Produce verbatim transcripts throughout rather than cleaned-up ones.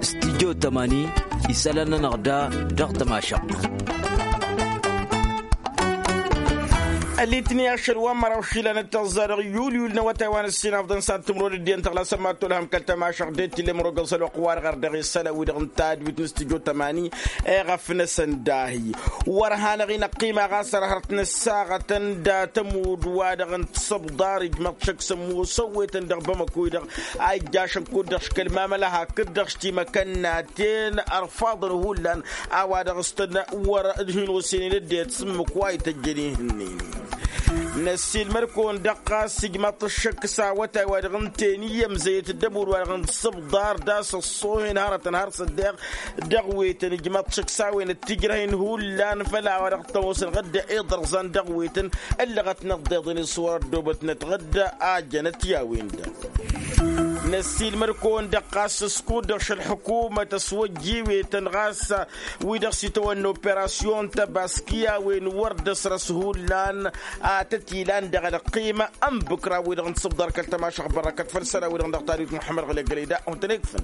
Stijjo tămani isălan-nănăɣ da dăɣ-tămašăɣt. Ălitni ašăl wa n-măraw išilan d-tăẓẓa dăɣ-yul yul n-awătay wa n-ǝssin afḍăn s-ad-tǝmrod ăddiyăn tăɣlasăn ma t-olhăm kăl-tămašăɣt d-e t-illa imrogăn s-ălwăqq-wa-dăɣ ar dăɣ-e s-ălawidăɣ n-tadwit n-stijjo tămani. Eɣăf-năsăn dahi wăr hanăɣ-in ăqqima ɣas ărhărt n-ăssaɣătăn d-atămud-wa-dăɣ n-tisăbḍar ijmăḍ šăkk s-ămmoos ăwwetăn dăɣ-bamăko-i-dăɣ a ijjašăn kud-dăɣ škăl mamăla hakd-dăɣ š-timăkănnaten ărfaḍăn hullan a-wa dăɣ-s tăn-wăr hin-osenin ăddinăt s-ǝmmǝk wa ităjjăn ihǝnnin. Năssiilmăd-kăwăn-dăɣ ɣas ijmăḍ-t ăššăk s-awătay-wa-dăɣ ǝnta-en iyyămzăyăt dd-ămud-wa-dăɣ n-tisǝbḍar d-a-s ăṣṣoohen hărătăn har s-ăddeɣ dăɣ-wetăn ijmăḍ-t šăkk s-a-wen ăttijrăh-in hullan făll-a-wa dăɣ-tăwăsăn ɣǝdda iḍărẓan dăɣ-wetăn ǝllăɣătnăt d-iḍǝn-i s-wăr-ăddoobătnăt ɣǝdda a jănăt i-a-wen-dăɣ. Năssiilmăd-kăwăn-dăɣ ɣas s-kud-dăɣ šălḥǝkumăt ăswăjj iwetăn ɣas wi-dăɣ s-itawănna operasyon tăbaski a-wen wăr dd-ăsrăs hullan. Atăt ilan dăɣ-ălqima ănbǝkra wi-dăɣ n-tisǝbḍar kăl-tămašăɣ bărrăkăt făll-isălan wi-dăɣ n-dăɣ-tadwit muḥămmăd ɣǝlek gălăy da. Hawăn-tăn-ikfăn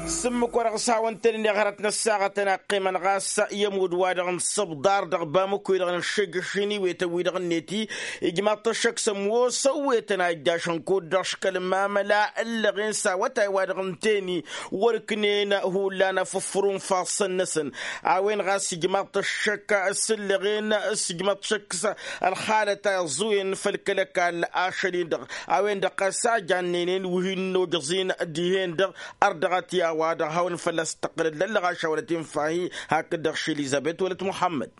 s-ǝmmǝk wa dăɣ-s hawăn-tăn-in-iɣărăt n-ăssaɣătăn a qqimăn ɣas i-ămudd-wa-dăɣ n-tisǝbḍar dăɣ-bamǝkku-i-dăɣ n-ăššăjjăš-in iwetăn wi-dăɣ ǝnnet-i ijmaḍ-t ăššăk s-ămoos ăwwetăn a ijjašăn kud-dăɣ škăl mamăla ǝllăɣen s-awătay-wa-dăɣ ǝnta-en-i wăr-ǝknen hullan afǝffăr unfassăn-năsăn. A-wen ɣas ijmaḍ-t ăššăk s-ǝllăɣen s-ijmaḍ-t šăkk s-ălxalăt a iẓẓuyen făll-kăl-ăkall ašăl-in-dăɣ a-wen-dăɣ ɣas a jannen-en wi hin-nojăẓ-in dihen-dăɣ. Ărdăɣăt i-a-wa-dăɣ hawăn-fălla-s tăqqǝlăd lăllăɣ ašawălăt infa-hi hakd-dăɣ š-elizăbet wălăt muḥămmăd.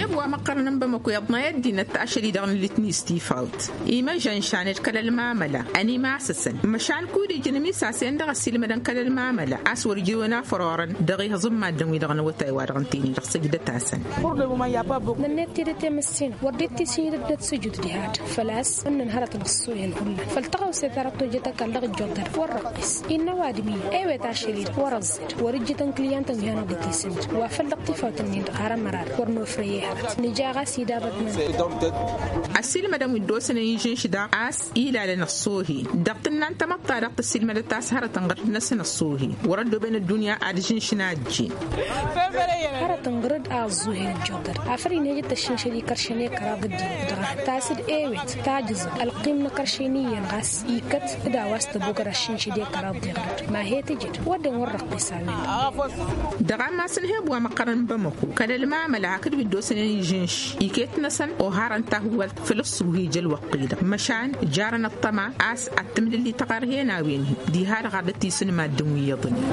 Eb wa măqqărăn n-bamăko iḍnay ăddinăt ašăl-i-dăɣ n-litni s-tifawt imăžžăn šaned kăl-ălmamăla ănimasăsăn măšan kud-ijăn ămisasen dăɣ-ăsilmădăn kăl-ălmamăla a-s wăr-ijrǝwăn a fărorăn dăɣ-ihǝẓǝmmadăn-wi-dăɣ n-awătay-wa-dăɣ ǝnta-en-i dăɣ-săjdăt-asăn. Nănnet tidǝt i-măssinăɣ wăr dd-tisǝnjǝd ăddinăt sujud diha-dăɣ făl-a-s ǝnnăn hărăt n-ăṣṣuhen hullan făll-tăɣawse ta dăɣ-tojjăt ăkall dăɣ-ǝjjoḍ-dăr wăr-răqqis innă ăwadǝm-i ewet ašăl-i-dăɣ wăr-ăẓẓed wăr-ǝjjǝtăn kǝlyantăn wi hanăɣ-dd-itisǝnjǝd wa făl dăɣ-tifawt-ǝnnin-dăɣ har ămărar wăr nofrăy i-hărăt nǝja ɣas idabătnăn. Ăssiilmădăn wi dd-osănăn inžǝnš daɣ a-s ilalăn ăṣṣoohen dăɣ-tǝnna n-tamăḍt-ta-dăɣ tăssiilmădăt a-s hărătăn ɣărăt-năsăn ăṣṣoohen wăr-ăddooben ăddunya ad-žǝnšǝn a ăjjeen. Hărătăn ɣărăt a ăẓẓuhen ăjjoḍăr afăl inhejăt tăššǝnšăd ikăršăn i-kăraḍ ăddinăt dăɣ-a tas-dd ewet tajǝẓăn ălqim n-akăršen iyyăn ɣas ikăt d-a-wa s-tăbukăd ăššǝnšăd i-kăraḍ diɣrăd ma he-tǝjăd wădden wăr răqqis a-wen-dăɣ. Dăɣ-ammas n-heb wa măqqărăn n-bamăko kăl-ălmamăla hakd wi dd-osănen ižǝnš iket-năsăn oharăn tahǝwalt făll-ǝṣṣuhi ija ălwăqq-i-dăɣ măšan jarăn ăṭṭăma a-s ad-tǝmdǝlli taɣărhen a-wen-hi diha-dăɣ ad-dd-tisǝn maddǝn wi iyyăḍnen.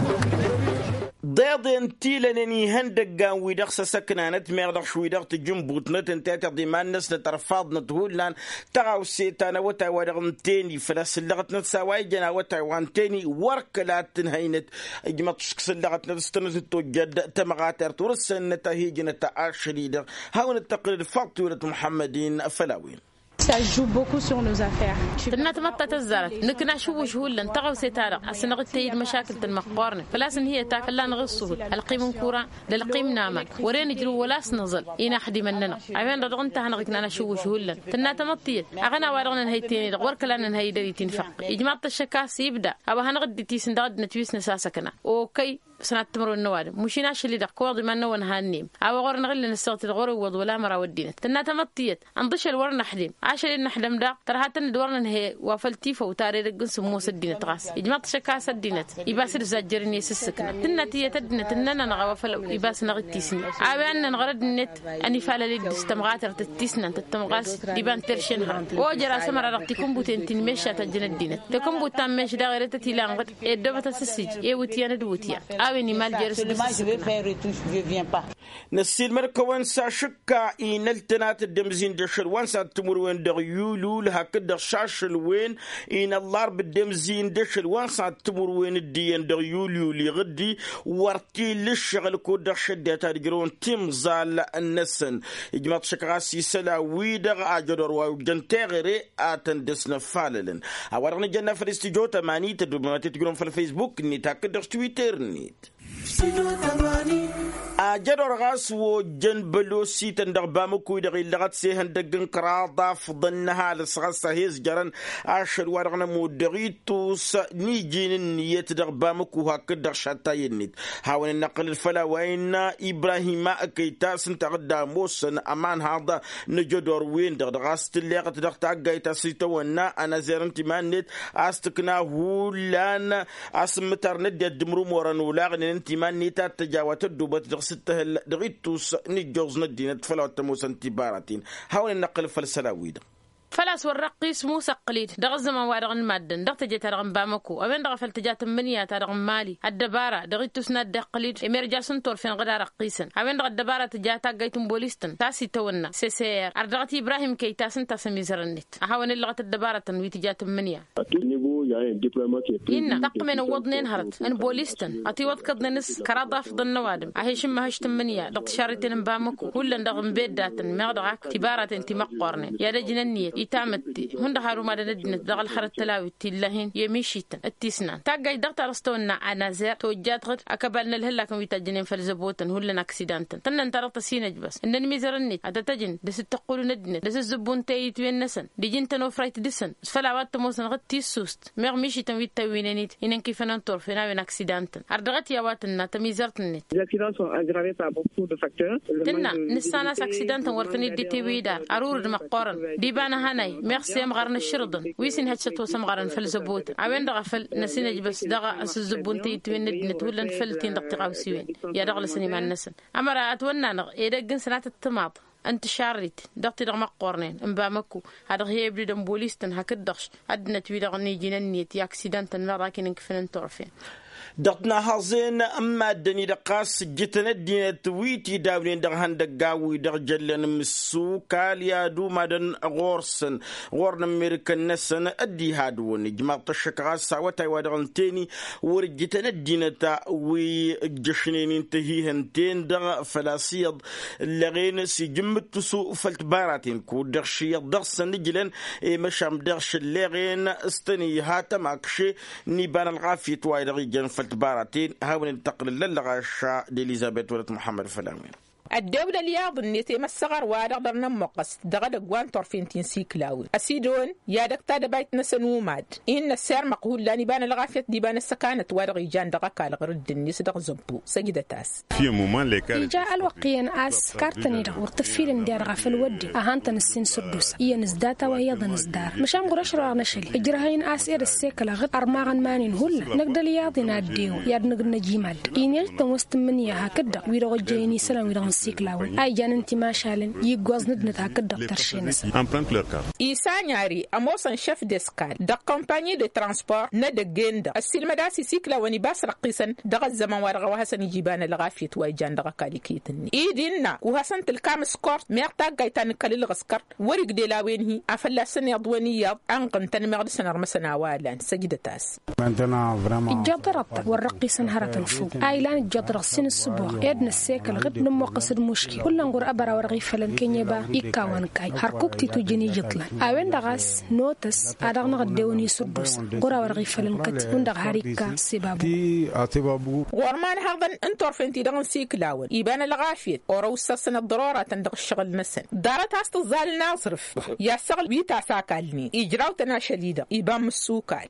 Ḍeḍen tilănen ihăndăggan-wi-dăɣ s-ăsăknanăt meɣ dăɣ-š-wi-dăɣ tǝjǝnbutnăt ǝnta i-tiḍa iman-năsnăt ărfaḍnăt hullan. Tăɣawse ta n-awătay-wa-dăɣ ǝnta-en-i făl-a-s ǝllăɣătnăt s-a-wa ijăn awătay wa ǝnta-en-i wăr kăla t-tǝnhăynăt. Ijmăḍ-t šǝk s-ǝllăɣătnăt s-tănăt-dd-tojjăd tămɣatert wăr-ǝssănnăt a hi-ǝjnăt ašăl-i-dăɣ. Hawăn-dd-tăqqǝlăd faḍt-i wălăt muḥămmăd-in făll-a-wen. Tănna tamăḍta tăzzarăt nǝkna ašǝwwǝš hullan tăɣawse-ta-dăɣ a-s năɣ-dd-tăyyǝd măšakǝl-tăn măqqoornen făl-a-s ǝnhǝyăt akǝllan ɣǝssǝhut ălqim n-kuran d-ălqim n-aman wăren ǝjrǝw wăla a-s nǝẓăl. Inaxdimăn-nănăɣ a-wen-dăɣ dăɣ-ǝnta a hanăɣ-iknan ašǝwwǝš hullan. Tănna tamăḍt tiyyăt aɣăna wa-dăɣ nǝnhăy tenet-dăɣ wăr kăla nǝnhăy dăr-i tinfăqqe ijmaḍ-t ăššăk a-s ibda a-wa hanăɣ-dd-itisǝn dăɣ-ăddinăt wi s-năsasăkna okăy. Sănat timǝrwen n-ăwadǝm mušin ašăl-i-dăɣ kăwăḍ iman-năwăn hannăyăm a-wa ɣur-năɣ illa năssăɣtǝd ɣur-iwwăḍ wăla măraw ăddinăt tănna tamăḍt tiyyăt. Ănḍǝšăl wăr năḥdem ašăl-i n-năḥdem daɣ tărha-tăn-dd wăr nǝnhăy wa făll-tifăw tara edăgg n-sǝmmos ăddinăt ɣas ijmăḍ-t šăkk a-s ăddinăt ibas d-zajjărăn i-sǝssǝkna tǝnna tiyyăt ăddinăt ǝnnăn-anăɣ a-wa făll-ibas năɣ-dd-tisǝnni. A-wen ad-nănɣăr ăddinăt ănifalăl-dd s-tămɣatărt d-tisnant d-tămɣalt d-iba n-terše n-hărăt. Ojăr a-s ămăra dăɣ-tikǝnbuten ti n-mešša tăjjăn ăddinăt takǝnbut ta n-meš daɣ eretăt ilan ɣǝd eddobătăt s-ǝssǝj i-iwǝtyan d-iwǝtyan. A-wen imal jer-s d-sǝssǝkna. Năssiilmăd-kăwăn s-ašǝkka inăl-tănat dd-ămzin d-ašăl wa n-sad-timǝrwen dăɣ-yulul hakd-dăɣ šašăl-wen inăllarb dd-ămzin d-ašăl wa n-sad-timǝrwen dd-iyyăn dăɣ-yulul iɣǝddi. Wăr t-illa ǝššăɣǝl kud-dăɣ šăddiyăt ad-ǝjrăwăn timẓal-năsăn. Ijmaḍ-t šăkk ɣas isălan-wi-dăɣ ajădor wa ojjăn teɣăre ad-tăn-dd-ăsnăfalălăn. A-wa-dăɣ nǝjănna făll-studyo tămani tăddobem ad-t-tǝjrăwăm făll-facebook-net hakd-dăɣ s-twitter-net. Studyo tămani. Ajădor ɣas ojjăn bălosităn dăɣ-bamăkuy-dăɣ illăɣăt s-ehăndăgg n-kăraḍ afḍăn n-ăhalǝs ɣas a he-ǝzjărăn ašăl-wa-dăɣ n-ămudd dăɣ-ittus n-iji n-ǝnniyăt dăɣ-bamăku hakd-dăɣ šattay-net. Hawăn-dd-năqqǝlăd făll-a-wa innă ibrahima kăytas ǝnta a dd-ămoosăn ămanhaḍ n-ajădor-wen-dăɣ dăɣ-a-s tǝlleɣăt dăɣ-taggayt a-s itawănna ănazer n-timan-net a-s tǝkna hullan asǝmmǝtar n-ăddinăt d-imrumorăn olaɣnen n-timan-net ad-tăj a-wa tăddobăt dăɣ-s dd-tǝhǝl dăɣ-ittus n-ijjoẓ n-ăddinăt făll-a-wa t-ămoosăn tibaratăn. Hawăn-dd-năqqǝlăd făll-isălan-wi-dăɣ. Făl-a-s wăr răqqis musăqqǝl-dd dăɣ-ăzzăman-wa-dăɣ n-maddǝn dăɣ-teje-ta-dăɣ n-bamăko a-wen-dăɣ a făl tǝja tǝmmǝnǝya-ta-dăɣ n-mali ăddăbara dăɣ-ittus n-ad-dd-iqqǝl-dd emerjas n-turfen ɣǝd a răqqisăn a-wen-dăɣ ăddăbara tǝja taggayt n-bolis-tăn ta s-itawănna ssr ărdăɣăt ibrahim kăytas ǝnta a-s ămizărăn-net a hawăn-ǝllăɣăt ăddăbarătăn wi tǝja tǝmmǝnǝya. Innă taqqǝmen ǝwwăḍnen hărăt n-bolis-tăn ătiwăḍkăḍnen s-kăraḍ afḍăn n-ăwadǝm a he-išǝmmăhăš tǝmmǝnǝya dăɣ-tišarriten n-bamăko hullan dăɣ-inbeddatăn meɣ dăɣ-ak tibaraten ti măqqornen i-ad-ăjǝn ănniyăt itamǝtte hundăɣ har umadăn ăddinăt dăɣ-ălxărăt tălawit ti ǝllăhen i-ămišităn d-tisnan taggajt dăɣ-ta dăɣ-s tăwănna anazer tojjat ɣǝd ăkăbal n-ălhăllak n-wi tajjănen făll-zăbotăn hullan aksida n-tăn tănnăn ta dăɣ-tăsinăjbăs ǝnnăn mizărăn-net ad-tăt-ăjǝn d-asǝttăqqulu n-ăddinăt d-asǝzzǝbbu n-teyǝtwen-năsăn d-iji n-tănofrayt dăɣ-săn făll-a-wa t-ămoosăn ɣǝd tissust meɣ mišităn wi t-tăwwinen-dd inǝnkifănăn turfen a-wen aksida n-tăn ărdăɣăt i-a-wa tǝnna tămizărt-net. Tǝnna nǝssan a-s aksida n-tăn wăr tăn-dd-itewi d-ar ărur d-măqqoorăn d-iba n-ehănay meɣ s-emɣarăn ǝššǝrǝḍăn wi s-inhăj s-ătwăsămɣarăn făll-zăbotăn a-wen-dăɣ a făl năsinăjbăs dăɣ-asǝzzǝbbu n-teyǝtwen n-ăddinăt hullan făll-tin-dăɣ tiɣawsiwen i-ad-ăɣlăsăn iman-năsăn. Ămăra ătwănna-năɣ edăgg n-sănatăt timaḍ n-tišarrit dăɣ-ti-dăɣ măqqoornen n-bamăko ad-dăɣ-hi-ăbdǝdăn bolis-tăn hakd-dăɣ ăddinăt-wi-dăɣ n-iji n-ǝnniyăt i-aksida n-tăn-meɣ dak-in-ǝnkǝfăn n-turfen. Dăɣ-tinahaẓen n-maddǝn-i-dăɣ ɣas ǝjjǝtăn ăddinăt wi t-idawnen dăɣ-ihăndăggan-wi-dăɣ jăllăn imǝssukal i-ad-umadăn ɣur-săn ɣur-inǝmmirǝkăn-năsăn. Dd-ihadǝwăn ijmaḍ-t ăššăk ɣas awătay-wa-dăɣ ǝnta-eni wăr ǝjjǝtăn ăddinăt wi ǝjjăšnen i n-tăhihăn-ten-dăɣ făl-a-s iyyăḍ ǝllăɣen s-ijǝmmǝttǝsu făll-tibaraten kud-dăɣ š-iyyăḍ dăɣ-săn ǝjlăn i-măšan dăɣ-šălleɣen s-tăn-iha tămakše n-iba n-ălɣafyăt wa-dăɣ ijăn făll-tibaraten. Hawăn-dd-tăqqǝlăl ăllăɣaša d-elizăbet wălăt muḥămmăd făll-a-wen. Ăddewăl ălyaḍ-net i-măssăɣăr wa-dăɣ dăr-nămmuqqăs dăɣ-edăgg wa n-turfen ti n-siklawăn ăsidon i-ad-ăkk tadăbayt-năsăn umad-i n-năssirmăɣ hullan iba n-ălɣafyăt d-iba n-ăssăkanăt wa-dăɣ ijan dăɣ-ăkall ɣǝrǝdd-net dăɣ-zăbbu. Săjdăt-as. Ija ălwăqq iyyăn a-s kartăn-i-dăɣ wăr tǝffilăn diha-dăɣ a făl wădden a han-tăn-ǝssin săr-dd-osa iyyăn s-data wa iyyăḍăn s-dara măšan ɣur-ašrăɣ n-ašăl ijrăhăyăn a-s ed ăssekăl aɣǝd ărmaɣăn iman-in hullan năgg d-ălyaḍ-in a dd-ewăn i-ad-nǝgg n-ăjimad. Inejtăn wa s-tǝmmǝnǝya hakd-dăɣ wi-dăɣ ojjăyăn isălan-wi-dăɣ n-siklawăn a ijan n-timašalăn i-iggoẓ n-ăddinăt hakd-dăɣ tărše-năsăn. Isanyari ămoosăn šef d-eskal dăɣ-kompanyi de transport n-edăgg-en-dăɣ ăssiilmăd a-s isiklawăn iba a-s răqqisăn dăɣ-ăzzăman wa dăɣ-a-wa hasăn-iji iba n-ălɣafyăt wa ijan dăɣ-ăkall iket-net-i d-innă wa hasăn-tǝlkam s-kort meɣ taggayt ta n-kăl-ǝlɣǝskărt wăr-ig d-elawen-hi a fălla-săn iḍwen iyyăḍ ănɣǝntăn meɣ dăɣ-săn ărmăsăn a-wa ălan săjdăt-as. Ijjaḍ-dăɣ ăṭṭa wăr răqqisăn hărătăn făw a ilan ǝjjaḍ-dăɣ s-in ǝssǝboɣ ed năssekăl ɣǝd nǝmmuqqăs d-muški hullan ɣur-ăbăra wa dăɣ-ifălăn kăy-neba ikka wa n-kayy hărkuk t-itujjăn ijǝḍlan. A-wen-dăɣ a-s notăs a dăɣ-năɣ ăddewăn isǝrdusa ɣur-a-wa dăɣ-ifălăn kăt-i hundăɣ har ikka s-ebabu. Ɣur-imanhaḍăn n-turfen-ti-dăɣ n-siklawăn iba n-ălɣafyăt orăw ǝssăsăn ăḍḍăroratăn dăɣ-ǝššăɣǝl-năsăn ḍarăt a-s tǝẓẓalăn aẓrǝf i-ad-săɣǝl wi tasakalnen ijraw-tăn ašăl-i-dăɣ iba n-imǝssukal.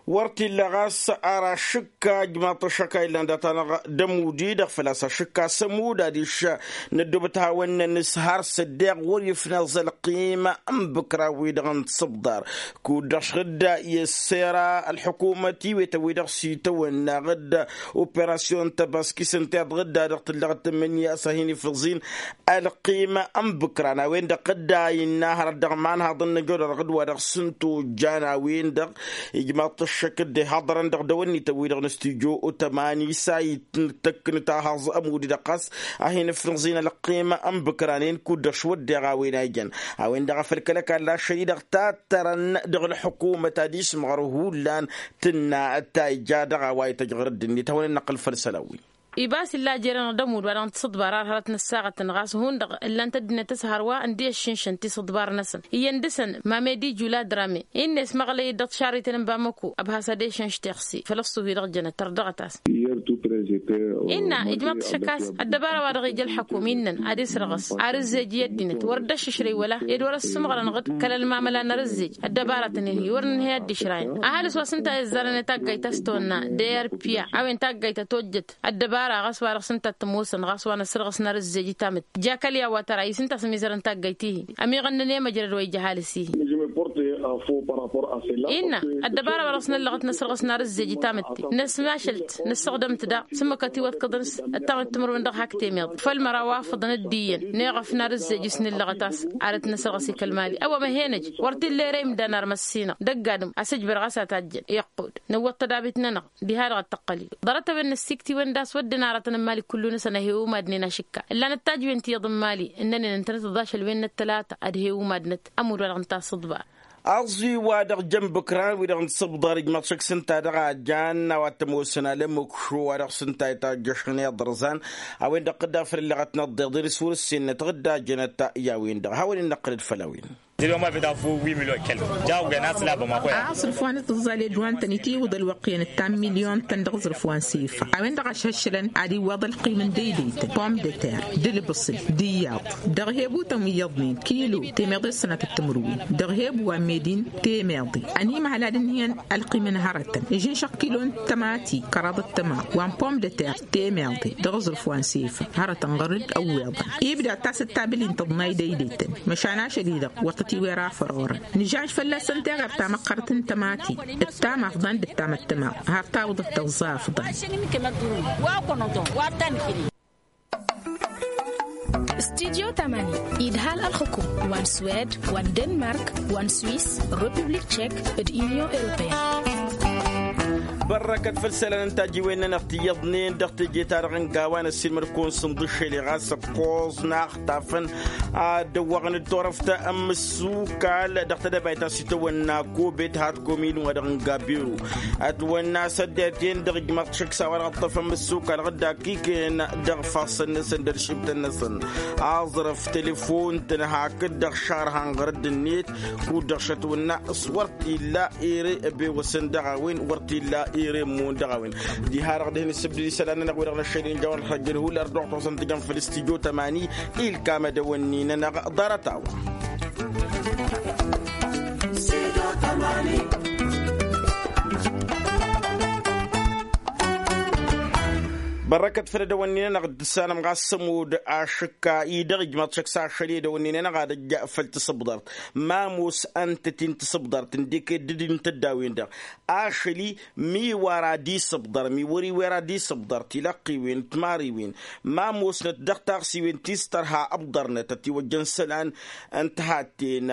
Wăr t-illa ɣas ar ašǝkka ijmaḍ-t ăššăk a illan data-năɣ d-ămud-i-dăɣ făl-a-s ašǝkka s-ămud adiš năddoobăt hawăn-nănǝs har s-ăddeɣ wăr ifnăẓ ălqim n-ibǝkra-wi-dăɣ n-tisǝbḍar kud-dăɣ šăɣ-dd-i ăssera ălḥukumăt iwetăn-wi-dăɣ s-itawănna ɣǝd operasyon tăbaskis ǝnta i-dăɣ dd-a dăɣ-tǝllăɣ d-tǝmmǝnǝya a-s a hin-ifǝẓin ălqim n-ibǝkra n-a-wen-dăɣ dd-a innă hărăt dăɣ-imanhaḍăn n-ajodăr ɣǝd wa dăɣ-săn tojjan a-wen-dăɣ ijmaḍ-t ăššăk dd-ihaḍărăn dăɣ-dăwănnităn-wi-dăɣ n-stujo otămani s-a itǝkkǝnǝt ahaẓ ămud-i-dăɣ ɣas a hin-ǝfnăẓin ălqim n-ibǝkranen kud-dăɣ s-wădden a-wen a ijăn. A-wen-dăɣ a făl kăl-ăkall ašăl-i-dăɣ tattărăn dăɣ-ălḥukumăt ad-ismăɣăr hullan tǝnna ta ija dăɣ-a-wa ităjj ɣur-dd-net hawăn-dd-năqqǝl făll-isălan-wi. Iba a-s illa a jer-enăɣ d-ămud wa dăɣ-n tisǝḍbar ar hărăt nǝssaɣătăn ɣas hundăɣ ǝllan-t ăddinăt s-hărwa ǝndi ăššǝnšăn tisǝḍbar-năsăn iyyăn dăɣ-săn mamedi jula drame. Inna esmăɣlăy-dd dăɣ-tišarriten n-bamăko ăbhas ad-ešănš teɣse făll-ăṣṣuf-i-dăɣ jănăt tărdăɣăt-as. Innă ijmăḍ-t šăk a-s ăddăbara-wa-dăɣ ija ălḥăkum innăn ad-isrăɣăs ar ǝzzej i-ăddinăt wăr dd-ăššǝšrăy wăla ed wăr-ăssǝmɣărăn ɣǝd kăl-ălmamăla n-arǝzzej. Ăddăbara-tăn-in-hi wăr nǝnhăy ad-dd-išrayăn ăhalǝs wa s-ǝnta a izzarăn i-taggayt a-s tăwănna d-arpia a-wen taggayt ătojjăt ăddăbara ɣas wa-dăɣ s-ǝnta t-ămoosăn ɣas wa n-asrăɣăs n-arǝzzej i-tamǝtte. Jakăl i-a-wa tăra-i s-ǝnta a-s ămizărăn taggayt-i-hi ămiɣănnăn i-măjrăd wa ija ăhalǝs-i-hi. Innă ăddăbara wa dăɣ-s năllăɣăt n-asrăɣăs n-arǝzzej i-tamǝtte năsmašăl-t năssăɣdăm-t daɣ s-ǝmmǝk ătiwăḍkăḍăn s-ăttamǝt timǝrwen dăɣ-hak temeḍ făll-măraw afǝḍăn dd-iyyăn. Neɣăf n-arǝzzej s-nǝllăɣăt a-s arăt n-asrăɣăs i-kăl-mali ăwwămăhenăj wăr t-illa ere imdan armăssinăɣ dăgg-adǝm asǝjbăr ɣas a tajjăn iqqud nǝwwăḍ tădabit-nănăɣ. Diha-dăɣ ăttăqqăl-i ḍarăt-a-wen n-ăssikt-iwen d-a-s wădden aratăn n-imali kullu-năsăn ăhewǝm adnen ašǝkka ǝllanăt tajǝwen ti iyyăḍ n-imali ǝnnănen ǝntănăt ăḍašăl-wen n-ăttălata ad-hewǝm adnăt ămudd-wa-dăɣ n-tasǝḍba. Aẓwi-wa-dăɣ jăn bǝkran wi-dăɣ n-tisǝbḍar ijmăḍ šăkk s-ǝnta dăɣ-a jan a-wa t-ămoosăn alămukšo wa dăɣ-s ǝnta itajjăšăn iḍrǝẓan a-wen-dăɣ tǝdda făll-ǝlleɣăt n-ăḍḍeḍ d-iswăr-ǝssenăt ɣǝdda jănăt i-a-wen-dăɣ a hawăn-in-năqqǝlăd făll-a-wen. Tǝdǝm a bit a făw wi milyon kăl jaw găna s-labăm a-s ǝlf wa n-tǝẓẓal i-ădduwa n-tăn-itiwǝḍ ălwăqq iyyăn ǝttan milyon-tăn dăɣ-aẓrǝf wa n-sifa a-wen-dăɣ a šăššǝlăn ad-iwwaḍ ălqim n-deydeytăn pom de ter d-ǝlbǝṣǝl d-iyyăḍ dăɣ-hebutăn wi iyyăḍnen kilo temeḍe s-sănatăt timǝrwen dăɣ-hebu wa n-medin temeḍe ănimăhăl ad-ǝnhǝyăn ălqim n-hărătăn ǝžǝnšăɣ kilo n-tămati kăraḍăt tămaḍ wa n-pom de ter temeḍe dăɣ-aẓrǝf wa n-sifa hărătăn ɣăr-dd ăwweḍăn ibda tasǝttabǝl-in tăḍnay deydeytăn măšan ašăl-i-dăɣ wăr tăt-iwera fărorăn nǝžaž fălla-săn teɣăr ta măqqărăt n-tămati d-tamafḍan d-tamăttăma har tawǝḍăt tăẓẓafḍan. Studio tamani idhal ălxukum wa n-swed wa n-denmark wa n-swis, republik tšek d-inyon europeyăn. Bărrăkăt făll-isălan n-tajiwen-nănăɣ ti iyyăḍnen dăɣ-teje-ta-dăɣ n-gawa n-ăssiilmăd-kăwăn sǝnḍǝššel i-ɣas ăkkoẓ n-axtafăn ad-dăwwăɣăn d-turăft n-imǝssukal dăɣ-tedăbayt ta s-itawănna kobet hatkom-in wa dăɣ-n gabiru ătwănna săddet-en-dăɣ ijmaḍ šăkk s-a-wa dăɣ-ǝṭṭăfăn imǝssukal ɣǝdda kikăyăn dăɣ-ifassăn-năsăn d-ălšibtăn-năsăn. Aẓrăf telefon-tăn hakd-dăɣ šarhan ɣărădd-net kud-dăɣ šătwănna s-wăr t-illa ere ăbewăsăn dăɣ-a-wen wăr t-illa ere ǝmmon dăɣ-a-wen. Diha-dăɣ dăɣ-hin-ǝssǝbdǝd isălan-nănăɣ wi-dăɣ n-ăššăl injawăn ălxăjjăl hullan dăɣ-tos ăntǝjăn făll-stujo tămani ilkam ad-ăwănni-nănăɣ ḍarăt-a-wa. Bărrăkăt făll-ad-ăwănni-nănăɣ d-tǝssanăm ɣas s-ămudd ašǝkka-i dăɣ-ijmăḍ šăkk s-ašăl i-ad-ăwănni-nănăɣ ad-ăjja făll-tisǝbḍărt ma ămoos ǝntăt-i n-tisǝbḍărt ǝndek dd-ǝntăddawen-dăɣ ašăl-i mi wăr ad-isǝbḍăr mi wăr-i wer ad-isǝbḍăr tilăqqiwen d-timariwen ma ămoosnăt dăɣ-taɣsiwen ti s-tărha ăbḍărnăt ătiwăjjăn isălan n-tihătten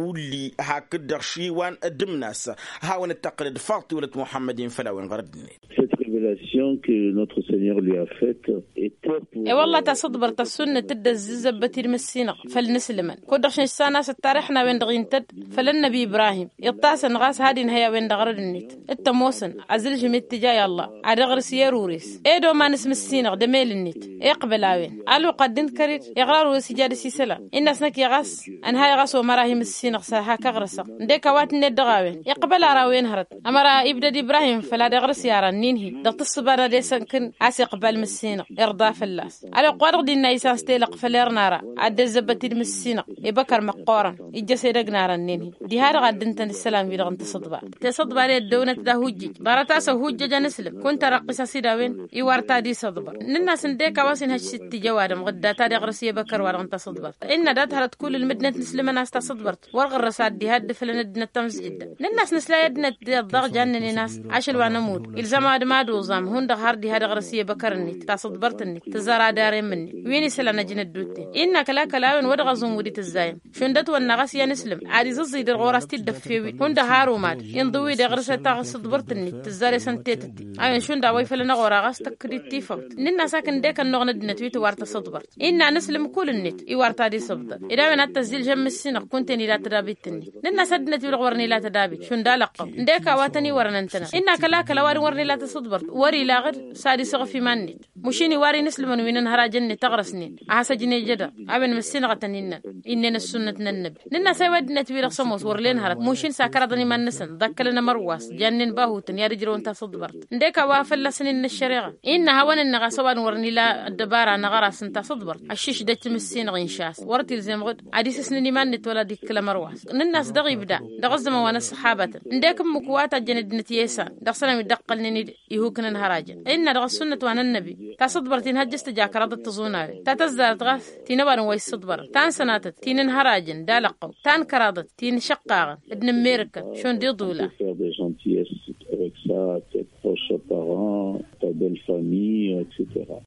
ulli hakd-dăɣ šiwan d-ǝmnas. Ad-hawăn-dd-tăqqǝlăd faḍt-i wălăt muḥămmăd-in făll-a-wen ɣărădd-net. Cette révélation que notre seigneur lui a faite était pour e-wălla tasǝḍbărt ăssunnăt dd-ăzzǝzzăbbăt-dd măssinăɣ făll-inǝslǝmăn kud-dăɣ šănš s-anasăt tarix n-a-wen-dăɣ intădd făll-ănnăbi ibrahim iṭṭasăn ɣas had-inhăy a-wen-dăɣ ărăd-net. T-ămoosăn azǝlžǝm i-ǝttǝja i-ăllah ad-iɣrǝs i-erures ed omanăs măssinăɣ d-emel-net iqbăl a-wen. Ăluqq ad-dd-inkăr-dd iɣrarures ija dăr-s isălan innă a-s năkk i-ɣas ănhayăɣ a-s omăr-ahi măssinăɣ s-ad-hak-ăɣrǝsăɣ. Ǝndek a-wa tǝnned dăɣ-a-wen iqbăl ara a-wen hărăt ămăra ibdăd ibrahim făll-ad-iɣrǝs i-aran-in-hi dăɣ-tǝssǝba n-ad-esănkǝn a-s iqbal măssinăɣ irḍa fălla-s. Ălwăqq-wa-dăɣ dinna isans telăqq făll-err n-ara ad-dd-ăzzăbbăt-dd măssinăɣ ibăkăr măqqoorăn ijjăs edăgg n-arănnen-hi. Diha-dăɣ ad-dd-ǝntăn isălan-wi-dăɣ n-tasǝḍba tesăḍba d-ăddăwnăt d-ahujjǝj ḍarăt-as ăhujjăj anǝslǝm kunta răqqis a-s dd-a-wen iwar ta d-isăḍbăr. Nǝnn'-as ǝndek a-wa s-inhăj s-ittǝj ăwadǝm ɣǝdda ta d-iɣrǝs i-ebăkăr-wa-dăɣ n-tasǝḍbărt innă dat-hărăt kull ǝlmǝdnăt n-islǝmăn a-s tasǝḍbărt wăr ɣǝrrăs ad-dd-iha dd-ǝflăn ăddinăt tamǝzjǝdda. Nǝnn'-as nǝsla i-ăddinăt d-iḍḍaɣ jannănen a-s ašăl wa n-ămudd ilzam ad-mad-oẓam hundăɣ har diha d-iɣrǝs i-ebăkăr-net tasǝḍbărt-net tǝzzar ad-arem-net wi n-isălan ăjnăddut-ten. Innă kăl-akăl a-wen wa dăɣ-aẓǝnwǝd itǝzzayăm šund ătwănna ɣas i-ad-nǝslǝm ad-izǝẓẓǝy dăr-ɣur-as t-dd-ăffew-in hundăɣ har omad inḍǝw-dd iɣrǝs tasǝḍbărt-net tǝzzar i-săn tetătte. A-wen šund a-wa ifălăn-aɣ ora ɣas tăkk-dd tifawt nǝnn'-as ak ǝndek ănnuɣ n-ăddinăt wi tǝwar tasǝḍbărt. Innă anǝslǝm kull-net iwar ta d-isǝbḍăr ed a-wen ad-tăzzilžăm mǝssinăɣ kunta-en ila tădabit-net. Nǝnn'-as ăddinăt wi-dăɣ wăren ila tădabit šund alăqqăw ǝndek a-wa tăn-iwărăn ǝntănăɣ innă kăl-akăl ăwadǝm wăren ila tasǝḍbărt. Wăr-ilaɣ-dd s-ad-isǝɣǝf iman-net. Mušin iwar inǝslǝmăn wi n-inhărajăn-net ăɣrăsnen a has-ăjnejădăɣ a-wen măssinăɣătăn innăn. Innăn ăssunnăt n-ănnăbi nǝnn'-as a-wa ăddinăt-wi-dăɣ s-ămoos wăr len hărăt mušin s-akăraḍăn iman-năsăn ḍakkălăn ămărwas jannen bahutăn i-ad-ǝjrăwăn tasǝḍbărt. Ǝndek a-wa fălla-săn innă ăššăreɣa innă hawăn-ǝnneɣ a-s ăwadǝm wăr nila ăddăbara n-aɣăras n-tasǝḍbărt. Ăššiš d-ăjj timǝssinăɣ inša-s wăr t-ilzem ɣǝd ad-isǝsnǝn iman-net wăla ad-ikkǝl ămărwas. Nǝnn'-as dăɣ-ibda dăɣ-ǝzzămăn wa n-ăṣṣăxabatăn ǝndek ǝmmǝk wa tajjăn ăddinăt i-esan dăɣ-săn a-wi dd-ăqqălnen-dd ihuk n-inhărajăn. Innă dăɣ-ăssunnăt wa n-ănnăbi ta sǝḍbărăt inhăjjăš tǝja kăraḍăt tăẓunaren ta tăzzarăt ɣas ti n-ăwadǝm wa issǝḍbărăn ta n-sănatăt ti n-inhărajăn d-alăqqăw ta n-kăraḍăt ti n-išăqqaɣăn d-inǝmmerǝkăn šund iḍula. Faire des gentillesses avec ça à tes proches parents, ta belle famille, et cetera.